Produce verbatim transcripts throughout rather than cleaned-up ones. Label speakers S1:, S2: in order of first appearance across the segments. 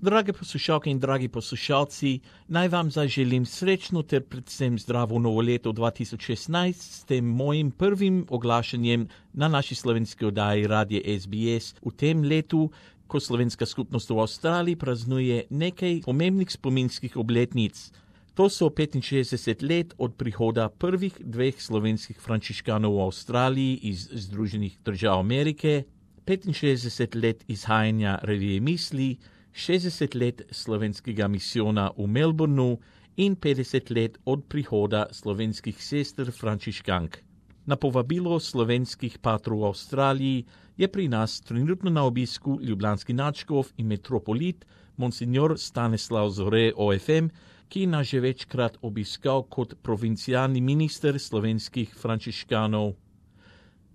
S1: Drage poslušalke in dragi poslušalci, naj vam zaželim srečno ter predvsem zdravo novo leto dva tisoč šestnajst s tem mojim prvim oglašanjem na naši slovenski oddaji Radia S B S v tem letu, ko slovenska skupnost v Avstraliji praznuje nekaj pomembnih spominskih obletnic. To so petinšestdeset let od prihoda prvih dveh slovenskih frančiškanov v Avstraliji iz Združenih držav Amerike, petinšestdeset let izhajanja revije Misli, šestdeset let slovenskega misijona v Melbourneu in petdeset let od prihoda slovenskih sester frančiškank. Na povabilo slovenskih patrov v Avstraliji je pri nas trenutno na obisku ljubljanski nadškof in metropolit monsignor Stanislav Zore O F M, ki nas že večkrat obiskal kot provincialni minister slovenskih frančiškanov.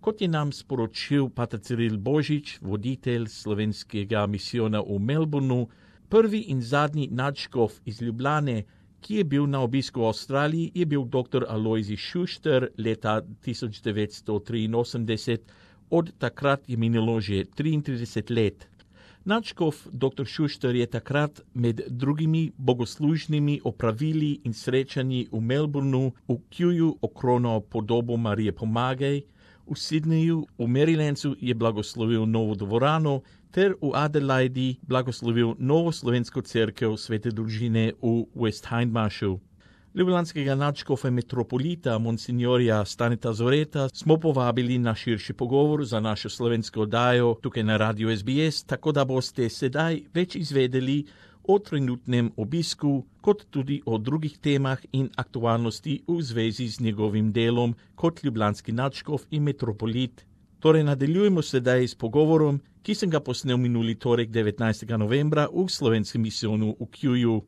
S1: Kot je nam sporočil pater Ciril Božič, voditelj slovenskega misijona v Melbourneu, prvi in zadnji nadškof iz Ljubljane, ki je bil na obisku v Avstraliji, je bil doktor Alojzij Šušter leta tisoč devetsto triinosemdeset, od takrat je minilo že triintrideset let. Nadškof doktor Šušter je takrat med drugimi bogoslužnimi opravili in srečanji v Melbourneu v Kewu okronal podobo Marije Pomagaj, v Sydneyju, v Marylandu je blagoslovil novo dvorano ter v Adelaidi blagoslovil novo slovensko cerkev Svete družine v West Hindmarshu. Ljubljanskega nadškofa metropolita monsignorja Staneta Zoreta smo povabili na širši pogovor za našo slovensko oddajo tukaj na Radiu S B S, tako da boste sedaj več izvedeli o trenutnem obisku, kot tudi o drugih temah in aktualnosti v zvezi z njegovim delom kot ljubljanski nadškof in metropolit. Torej nadaljujemo sedaj s pogovorom, ki sem ga posnel minuli torek devetnajstega novembra v slovenskem misijonu v Kewu.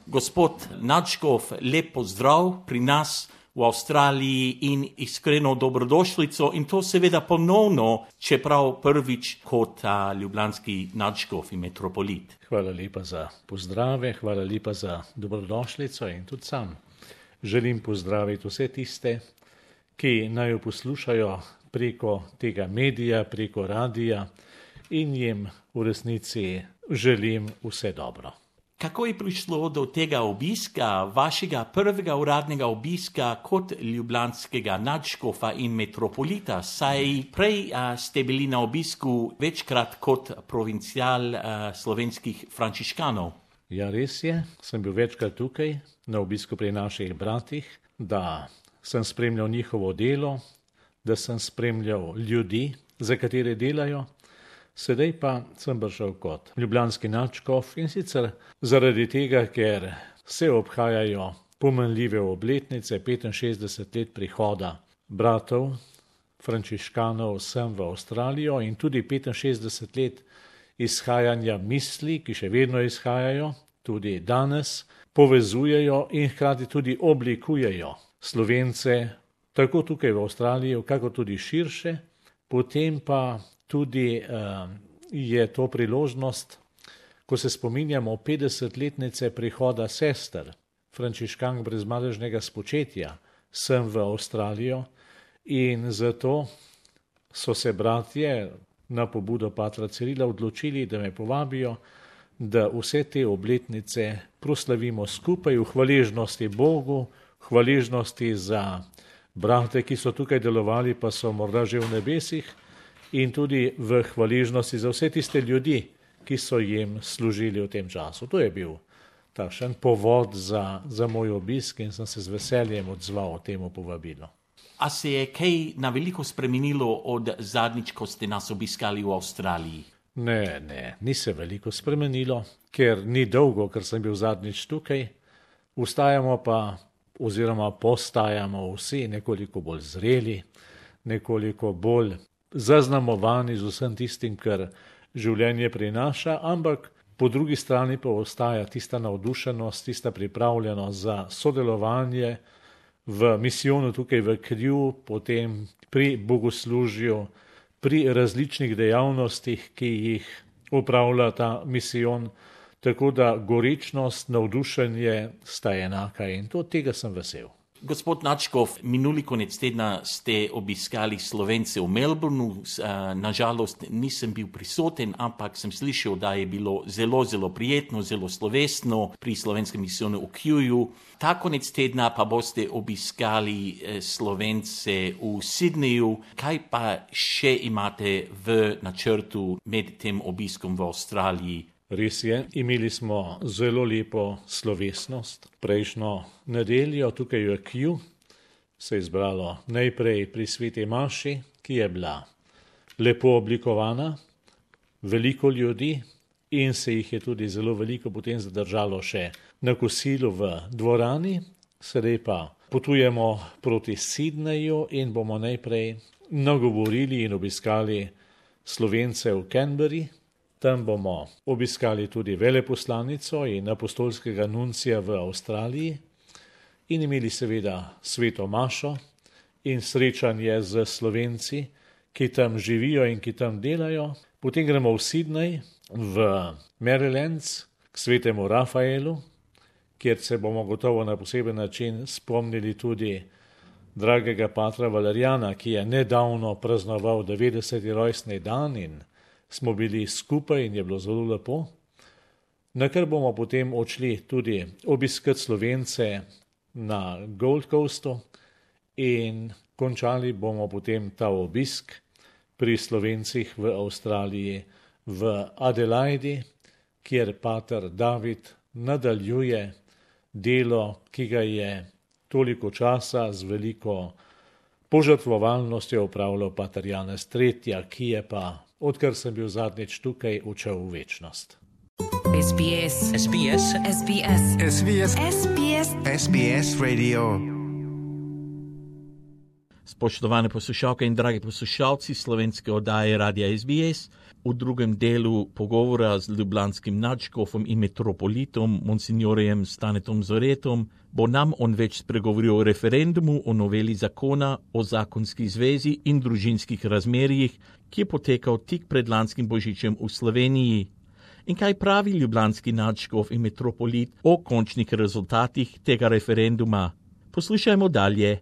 S1: Gospod nadškof, lep pozdrav pri nas v Avstraliji in iskreno dobrodošlico in to seveda ponovno, čeprav prvič kot a, ljubljanski nadškof in metropolit.
S2: Hvala lepa za pozdrave, hvala lepa za dobrodošlico in tudi sam želim pozdraviti vse tiste, ki naj jo poslušajo preko tega medija, preko radija in jim v resnici želim vse dobro.
S1: Kako je prišlo do tega obiska, vašega prvega uradnega obiska kot ljubljanskega nadškofa in metropolita? Saj prej a, ste bili na obisku večkrat kot provincial a, slovenskih frančiškanov.
S2: Ja, res je, sem bil večkrat tukaj na obisku pri naših bratih, da sem spremljal njihovo delo, da sem spremljal ljudi, za katere delajo. Sedaj pa sem prišel kot ljubljanski nadškof in sicer zaradi tega, ker se obhajajo pomenljive obletnice, petinšestdeset let prihoda bratov frančiškanov sem v Avstralijo in tudi petinšestdeset let izhajanja misli, ki še vedno izhajajo, tudi danes povezujejo in hkrati tudi oblikujejo Slovence, tako tukaj v Avstraliji, kako tudi širše, potem pa tudi uh, je to priložnost, ko se spominjamo petdesetletnice prihoda sester frančiškank brezmadežnega spočetja sem v Avstralijo in zato so se bratje na pobudo patra Cirila odločili, da me povabijo, da vse te obletnice proslavimo skupaj v hvaležnosti Bogu, hvaležnosti za brate, ki so tukaj delovali, pa so morda že v nebesih, in tudi v hvaležnosti za vse tiste ljudi, ki so jim služili v tem času. To je bil takšen povod za, za moj obisk in sem se z veseljem odzval temu povabilu.
S1: A se je kaj na veliko spremenilo od zadnjič, ko ste nas obiskali v Avstraliji?
S2: Ne, ne, ni se veliko spremenilo, ker ni dolgo, ker sem bil zadnjič tukaj. Ustajamo pa, oziroma postajamo vsi nekoliko bolj zreli, nekoliko bolj zaznamovani z vsem tistim, kar življenje prinaša, ampak po drugi strani pa ostaja tista navdušenost, tista pripravljenost za sodelovanje v misijonu tukaj v Kewu, potem pri bogoslužju, pri različnih dejavnostih, ki jih opravlja ta misijon, tako da gorečnost, navdušenje sta enaka in to tega sem vesel.
S1: Gospod Nadškov, minuli konec tedna ste obiskali Slovence v Melbourneu. Nažalost nisem bil prisoten, ampak sem slišal, da je bilo zelo, zelo prijetno, zelo slovesno pri slovenskem misijonu v Kewu. Ta konec tedna pa boste obiskali Slovence v Sydneyju. Kaj pa še imate v načrtu med tem obiskom v Avstraliji?
S2: Res je, imeli smo zelo lepo slovesnost. Prejšnjo nedeljo tukaj v Kewu se je zbralo najprej pri sveti maši, ki je bila lepo oblikovana, veliko ljudi in se jih je tudi zelo veliko potem zadržalo še na kosilu v dvorani. Sedaj pa potujemo proti Sydneyju in bomo najprej nagovorili in obiskali Slovence v Canberri. Tam bomo obiskali tudi veleposlanico in apostolskega nuncija v Avstraliji in imeli seveda sveto mašo in srečanje z Slovenci, ki tam živijo in ki tam delajo. Potem gremo v Sydney, v Marylands, k svetemu Rafaelu, kjer se bomo gotovo na poseben način spomnili tudi dragega patra Valerijana, ki je nedavno praznoval devetdeseti rojstni dan in smo bili skupaj in je bilo zelo lepo. Na kar bomo potem odšli tudi obiskati Slovence na Gold Coastu in končali bomo potem ta obisk pri Slovencih v Avstraliji v Adelaidi, kjer pater David nadaljuje delo, ki ga je toliko časa z veliko požrtvovalnostjo opravljal pater Janez tretji, ki je pa, odkar sem bil zadnjič tukaj, odšel v večnost.
S3: S B S. S B S. S B S. S B S. S B S. S B S Radio.
S1: Spoštovane poslušalke in dragi poslušalci slovenske oddaje Radia S B S, v drugem delu pogovora z ljubljanskim nadškofom in metropolitom monsignorjem Stanetom Zoretom bo nam on več spregovoril o referendumu o noveli zakona o zakonski zvezi in družinskih razmerjih, ki je potekal tik pred lanskim božičem v Sloveniji. In kaj pravi ljubljanski nadškof in metropolit o končnih rezultatih tega referenduma? Poslušajmo dalje.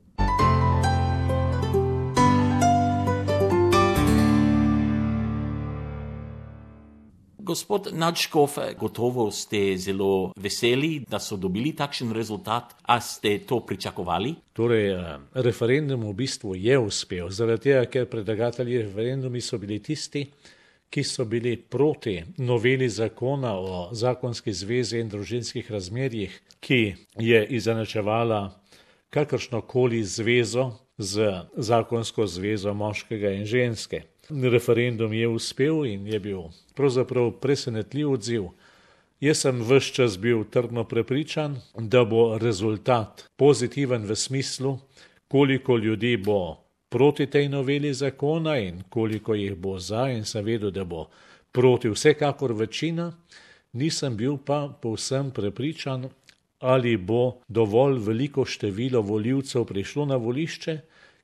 S1: Gospod Nadškov, gotovo ste zelo veseli, da so dobili takšen rezultat. A ste to pričakovali?
S2: Torej, referendum v bistvu je uspel, zaradi tega, ker predlagatelji referendumi so bili tisti, ki so bili proti noveli zakona o zakonski zvezi in družinskih razmerjih, ki je izenačevala kakršnokoli zvezo z zakonsko zvezo moškega in ženske. Referendum je uspel in je bil pravzaprav presenetljiv odziv. Jaz sem ves čas bil trdno prepričan, da bo rezultat pozitiven v smislu, koliko ljudi bo proti tej noveli zakona in koliko jih bo za, in sem vedel, da bo proti vsekakor večina. Nisem bil pa povsem prepričan, ali bo dovolj veliko število volivcev prišlo na volišče,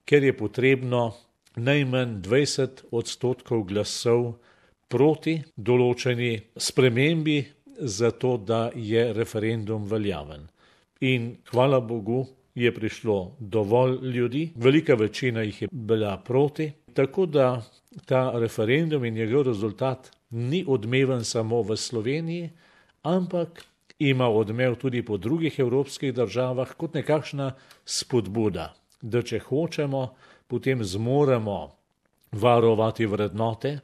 S2: ker je potrebno najmanj dvajset odstotkov glasov proti določeni spremembi, zato da je referendum veljaven. In hvala Bogu je prišlo dovolj ljudi, velika večina jih je bila proti, tako da ta referendum in njegov rezultat ni odmeven samo v Sloveniji, ampak ima odmev tudi po drugih evropskih državah kot nekakšna spodbuda, da če hočemo, potem zmoremo varovati vrednote,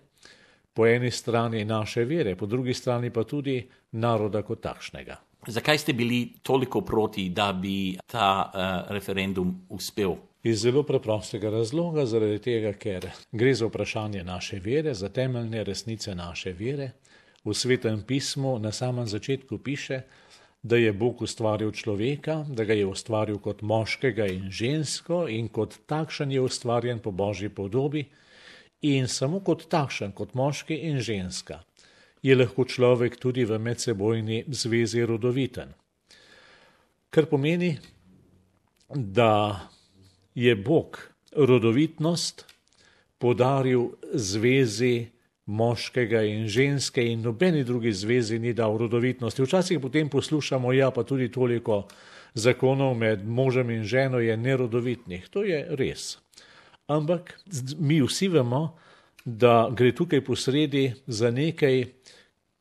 S2: po eni strani naše vere, po drugi strani pa tudi naroda kot takšnega.
S1: Zakaj ste bili toliko proti, da bi ta uh, referendum uspel?
S2: Iz zelo preprostega razloga, zaradi tega, ker gre za vprašanje naše vere, za temeljne resnice naše vere. V Svetem pismu na samem začetku piše, da je Bog ustvaril človeka, da ga je ustvaril kot moškega in žensko in kot takšen je ustvarjen po Božji podobi in samo kot takšen, kot moški in ženska, je lahko človek tudi v medsebojni zvezi rodoviten. Kar pomeni, da je Bog rodovitnost podaril zvezi moškega in ženske in nobeni drugi zvezi ni dal rodovitnosti. Včasih potem poslušamo, ja, pa tudi toliko zakonov med možem in ženo je nerodovitnih. To je res. Ampak mi vsi vemo, da gre tukaj posredi za nekaj,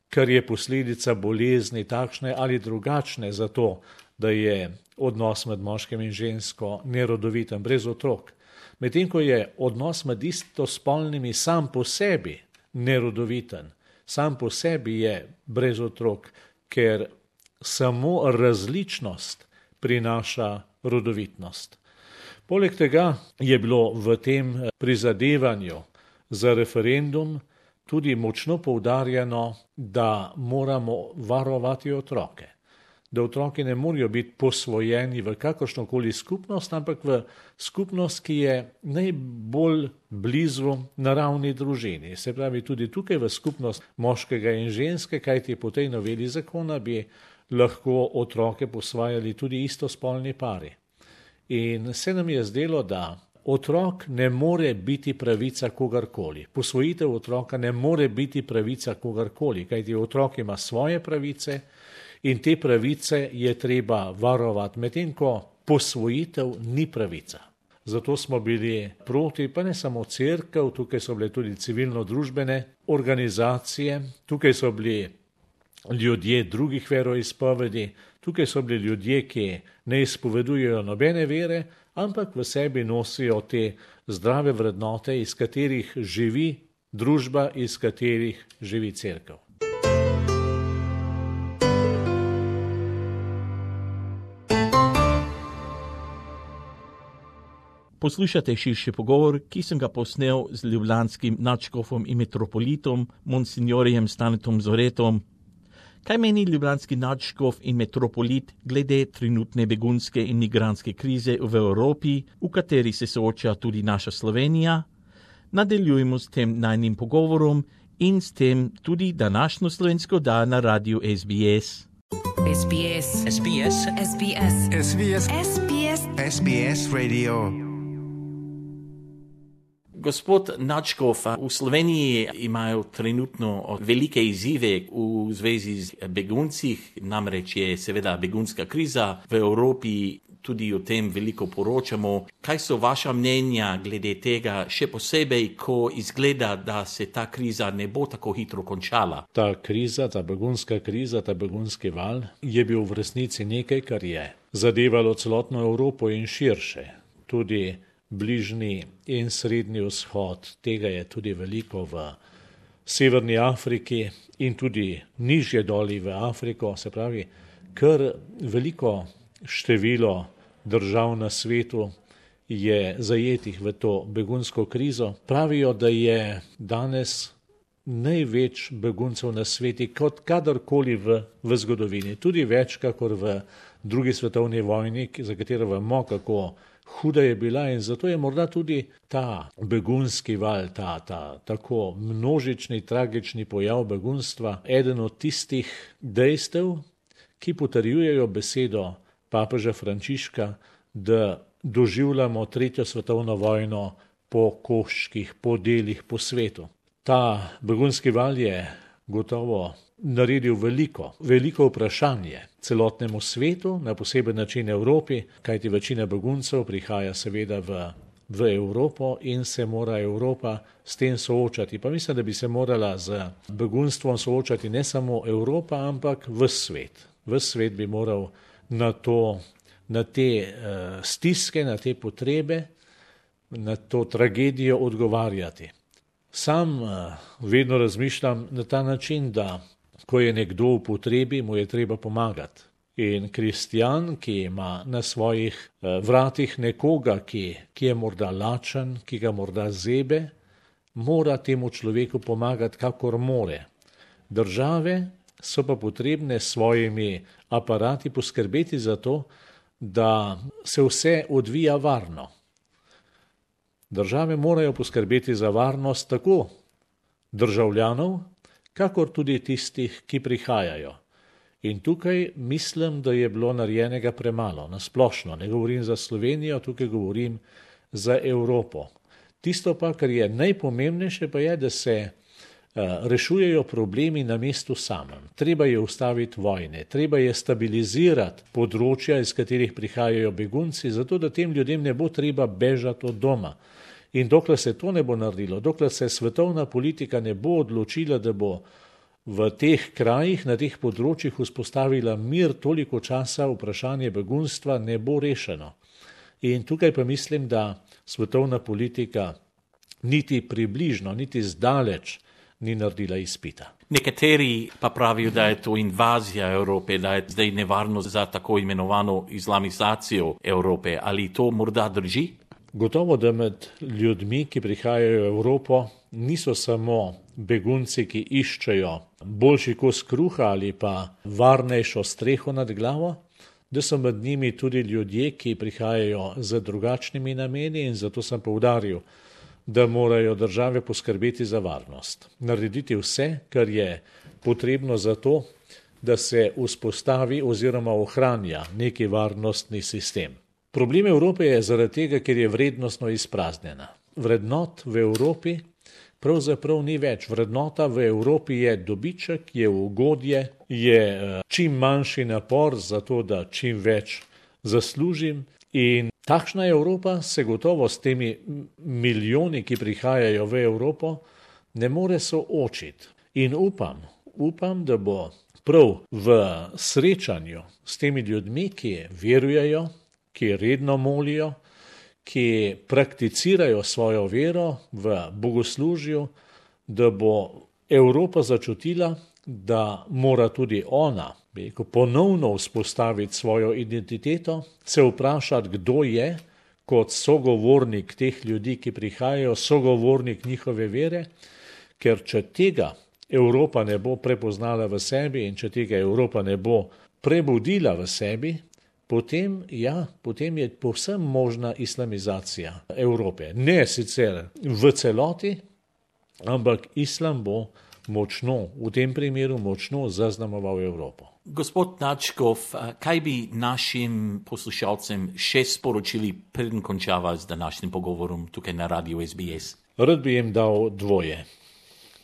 S2: kar je posledica bolezni takšne ali drugačne, zato da je odnos med moškim in žensko nerodoviten, brez otrok. Medtem ko je odnos med istospolnimi sam po sebi nerodoviten, sam po sebi je brez otrok, ker samo različnost prinaša rodovitnost. Poleg tega je bilo v tem prizadevanju za referendum tudi močno poudarjeno, da moramo varovati otroke. Da otroki ne morajo biti posvojeni v kakršnokoli skupnost, ampak v skupnost, ki je najbolj blizu naravni družini. Se pravi, tudi tukaj v skupnost moškega in ženske, kajti po tej noveli zakona bi lahko otroke posvajali tudi istospolni pari. In se nam je zdelo, da otrok ne more biti pravica kogarkoli. Posvojitev otroka ne more biti pravica kogarkoli, kajti otrok ima svoje pravice in te pravice je treba varovati, medtem ko posvojitev ni pravica. Zato smo bili proti, pa ne samo cerkev, tukaj so bile tudi civilno-družbene organizacije, tukaj so bili ljudje drugih veroizpovedi, tukaj so bili ljudje, ki ne izpovedujejo nobene vere, ampak v sebi nosijo te zdrave vrednote, iz katerih živi družba, iz katerih živi cerkev.
S1: Poslušate širši pogovor, ki sem ga posnel z ljubljanskim nadškofom in metropolitom, monsignorjem Stanetom Zoretom. Kaj meni ljubljanski nadškof in metropolit glede trenutne begunske in migrantske krize v Evropi, v kateri se sooča tudi naša Slovenija? Nadaljujemo s tem najnim pogovorom in s tem tudi današnjo slovensko oddajo na radiju S B S.
S3: S B S. S B S. S B S.
S4: S B S.
S3: S B S.
S4: S B S Radio.
S1: Gospod nadškof, v Sloveniji imajo trenutno velike izzive v zvezi z beguncih, namreč je seveda begunska kriza v Evropi, tudi o tem veliko poročamo. Kaj so vaša mnenja glede tega, še posebej, ko izgleda, da se ta kriza ne bo tako hitro končala?
S2: Ta kriza, ta begunska kriza, ta begunski val je bil v resnici nekaj, kar je zadevalo celotno Evropo in širše. Tudi Bližnji in Srednji vzhod, tega je tudi veliko v Severni Afriki in tudi nižje doli v Afriko, se pravi, kar veliko število držav na svetu je zajetih v to begunsko krizo. Pravijo, da je danes največ beguncev na svetu kot kadarkoli v, v zgodovini, tudi več kakor v drugi svetovni vojni, za katero vemo, kako huda je bila, in zato je morda tudi ta begunski val, ta, ta tako množični, tragični pojav begunstva eden od tistih dejstev, ki potrjujejo besedo papeža Frančiška, da doživljamo tretjo svetovno vojno po koščkih, po delih po svetu. Ta begunski val je gotovo naredil veliko, veliko vprašanje celotnemu svetu, na poseben način Evropi, kajti večina beguncev prihaja seveda v, v Evropo in se mora Evropa s tem soočati. Pa mislim, da bi se morala z begunstvom soočati ne samo Evropa, ampak ves svet. Ves svet bi moral na, to, na te uh, stiske, na te potrebe, na to tragedijo odgovarjati. Sam uh, vedno razmišljam na ta način, da ko je nekdo v potrebi, mu je treba pomagati. In kristjan, ki ima na svojih vratih nekoga, ki, ki je morda lačen, ki ga morda zebe, mora temu človeku pomagati, kakor more. Države so pa potrebne s svojimi aparati poskrbeti za to, da se vse odvija varno. Države morajo poskrbeti za varnost tako državljanov, kakor tudi tistih, ki prihajajo. In tukaj mislim, da je bilo narejenega premalo, nasplošno. Ne govorim za Slovenijo, tukaj govorim za Evropo. Tisto pa, kar je najpomembnejše, pa je, da se rešujejo problemi na mestu samem. Treba je ustaviti vojne, treba je stabilizirati področja, iz katerih prihajajo begunci, zato da tem ljudem ne bo treba bežati od doma. In dokler se to ne bo naredilo, dokler se svetovna politika ne bo odločila, da bo v teh krajih, na teh področjih vzpostavila mir, toliko časa vprašanje begunstva ne bo rešeno. In tukaj pa mislim, da svetovna politika niti približno, niti zdaleč ni naredila izpita.
S1: Nekateri pa pravijo, da je to invazija Evrope, da je zdaj nevarno za tako imenovano islamizacijo Evrope. Ali to morda drži?
S2: Gotovo, da med ljudmi, ki prihajajo v Evropo, niso samo begunci, ki iščejo boljši kos kruha ali pa varnejšo streho nad glavo, da so med njimi tudi ljudje, ki prihajajo z drugačnimi nameni, in zato sem poudaril, da morajo države poskrbeti za varnost. Narediti vse, kar je potrebno za to, da se vzpostavi oziroma ohranja neki varnostni sistem. Problem Evrope je zaradi tega, ker je vrednostno izpraznjena. Vrednot v Evropi pravzaprav ni več. Vrednota v Evropi je dobiček, je ugodje, je čim manjši napor za to, da čim več zaslužim. In takšna Evropa se gotovo s temi milijoni, ki prihajajo v Evropo, ne more soočiti. In upam, upam, da bo prav v srečanju s temi ljudmi, ki verujejo, ki redno molijo, ki prakticirajo svojo vero v bogoslužju, da bo Evropa začutila, da mora tudi ona ponovno vzpostaviti svojo identiteto, se vprašati, kdo je kot sogovornik teh ljudi, ki prihajajo, sogovornik njihove vere, ker če tega Evropa ne bo prepoznala v sebi in če tega Evropa ne bo prebudila v sebi, Potem, ja, potem je povsem možna islamizacija Evrope. Ne sicer v celoti, ampak islam bo močno, v tem primeru močno zaznamoval Evropo.
S1: Gospod Načkov, kaj bi našim poslušalcem še sporočili, preden končava z današnjim pogovorom tukaj na Radiu S B S?
S2: Rad bi jim dal dvoje.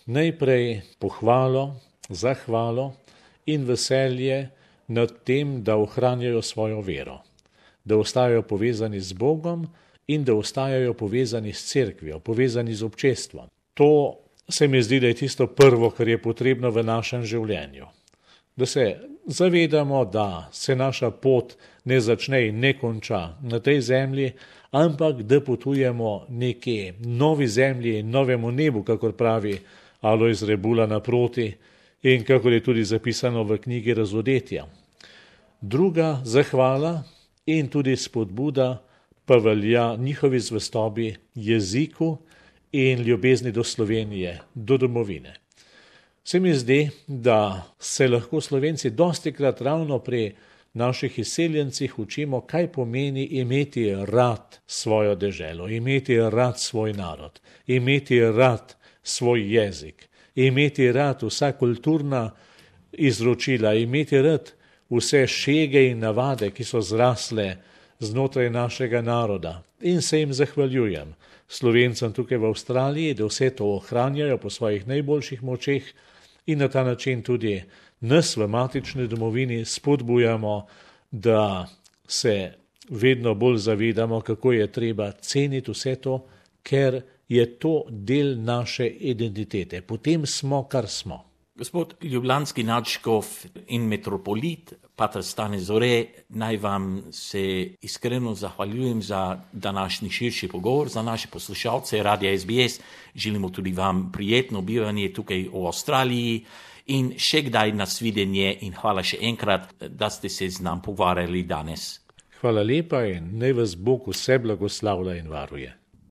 S2: Najprej pohvalo, zahvalo in veselje nad tem, da ohranjajo svojo vero, da ostajajo povezani z Bogom in da ostajajo povezani s cerkvijo, povezani z občestvom. To se mi zdi, da je tisto prvo, kar je potrebno v našem življenju. Da se zavedamo, da se naša pot ne začne in ne konča na tej zemlji, ampak da potujemo neki novi zemlji in novemu nebu, kakor pravi Alojz Rebula naproti, in kakor je tudi zapisano v knjigi Razodetja. Druga zahvala in tudi spodbuda pa velja njihovi zvestobi jeziku in ljubezni do Slovenije, do domovine. Se mi zdi, da se lahko Slovenci dostikrat ravno pri naših izseljencih učimo, kaj pomeni imeti rad svojo deželo, imeti rad svoj narod, imeti rad svoj jezik, imeti rad vsa kulturna izročila, imeti rad vse šege in navade, ki so zrasle znotraj našega naroda. In se jim zahvaljujem, Slovencem tukaj v Avstraliji, da vse to ohranjajo po svojih najboljših močeh in na ta način tudi nas v matični domovini spodbujamo, da se vedno bolj zavedamo, kako je treba ceniti vse to, ker je to del naše identitete. Potem smo, kar smo.
S1: Gospod ljubljanski nadškof in metropolit, pater Stane Zore, naj vam se iskreno zahvaljujem za današnji širši pogovor, za naše poslušalce Radia S B S. Želimo tudi vam prijetno bivanje tukaj v Avstraliji in še kdaj nasvidenje in hvala še enkrat, da ste se z nam pogovarjali danes.
S2: Hvala lepa in naj vas Bog vse blagoslavlja in varuje.